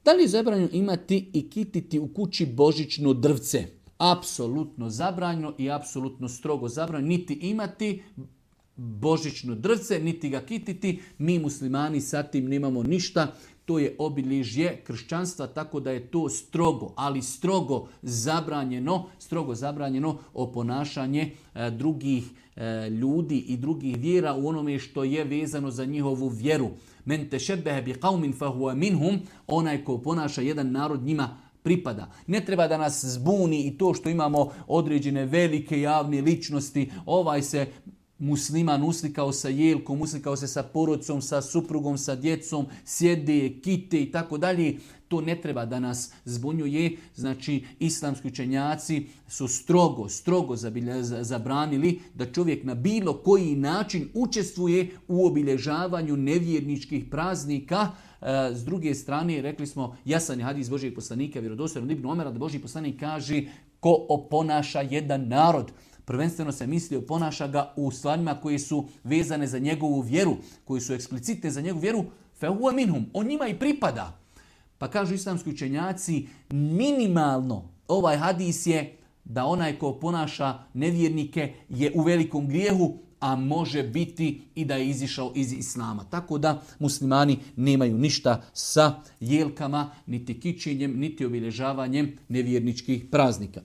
Da li je zabranjeno imati i kititi u kući božićno drvce? Apsolutno zabranjeno i apsolutno strogo zabranjeno. Niti imati božićno drvce, niti ga kititi. Mi muslimani sa tim nemamo ništa. To je obilježje kršćanstva, tako da je to strogo, ali strogo zabranjeno oponašanje drugih ljudi i drugih vjera u onome što je vezano za njihovu vjeru. Men tešebbehe bi qaumin fahuwa minhum, onaj ko ponaša jedan narod njima pripada. Ne treba da nas zbuni i to što imamo određene velike javne ličnosti, ovaj se musliman uslikao sa jelkom, uslikao se sa porodcom, sa suprugom, sa djecom, sjede, kite i tako dalje. To ne treba da nas zbunjuje. Znači, islamski učenjaci su strogo zabranili da čovjek na bilo koji način učestvuje u obilježavanju nevjerničkih praznika. S druge strane, rekli smo, jasan je hadis Božijeg poslanika, vjerodostojno Ibn Omera, da Božji poslanik kaže ko oponaša jedan narod. Prvenstveno se misli oponaša ga u stvarima koje su vezane za njegovu vjeru, koje su eksplicitne za njegovu vjeru, fehuwa minhum, on njima i pripada. Pa kažu islamski učenjaci, minimalno ovaj hadis je da onaj ko ponaša nevjernike je u velikom grijehu, a može biti i da je izišao iz islama. Tako da muslimani nemaju ništa sa jelkama, niti kićenjem, niti obilježavanjem nevjerničkih praznika.